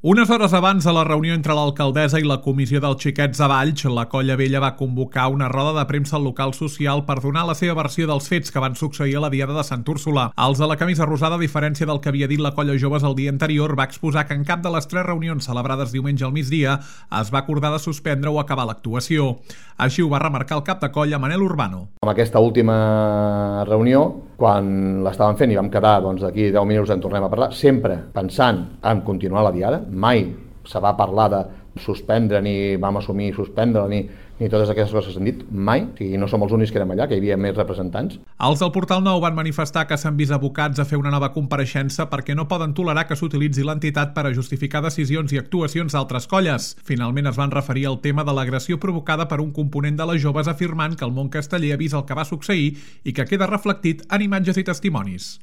Unes hores abans de la reunió entre l'alcaldessa i la comissió dels Xiquets de Valls, la Colla Vella va convocar una roda de premsa al local social per donar la seva versió dels fets que van succeir a la Diada de Sant Úrsula. Els de la camisa rosada, a diferència del que havia dit la Colla Joves el dia anterior, va exposar que en cap de les 3 reunions celebrades diumenge al migdia es va acordar de suspendre o acabar l'actuació. Així ho va remarcar el cap de colla, Manel Urbano. En aquesta última reunió, quan l'estàvem fent i vam quedar d'aquí 10 minuts en tornem a parlar, sempre pensant en continuar la Diada, mai se va parlar de suspendre, ni vam assumir suspendre, ni totes aquestes coses que s'han dit, mai. O sigui, no som els únics que érem allà, que hi havia més representants. Els del Portal Nou van manifestar que s'han vist abocats a fer una nova compareixença perquè no poden tolerar que s'utilitzi l'entitat per a justificar decisions i actuacions d'altres colles. Finalment es van referir al tema de l'agressió provocada per un component de les joves, afirmant que el món casteller ha vist el que va succeir i que queda reflectit en imatges i testimonis.